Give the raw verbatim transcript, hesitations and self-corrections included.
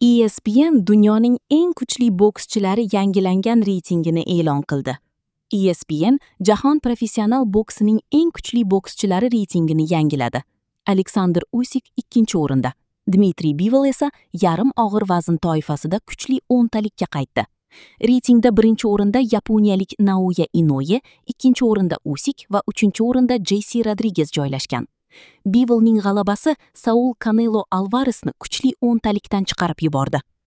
E S P N dunyoning eng kuchli bokschilari yangilangan reytingini e'lon qildi. E S P N jahon professional boksining eng kuchli bokschilari reytingini yangiladi. Aleksandr Usik ikkinchi o'rinda, Dmitriy Bivol esa yarim og'ir vazn toifasida kuchli o'ntalikka qaytdi. Reytingda birinchi o'rinda yaponiyalik Naoya Inoue, ikkinchi o'rinda Usik va uchinchi o'rinda Jeysi Rodriges joylashgan. Bivolning g'alabasi Saul Kanelo Alvaresni kuchli o'ntalikdan chiqarib yubordi.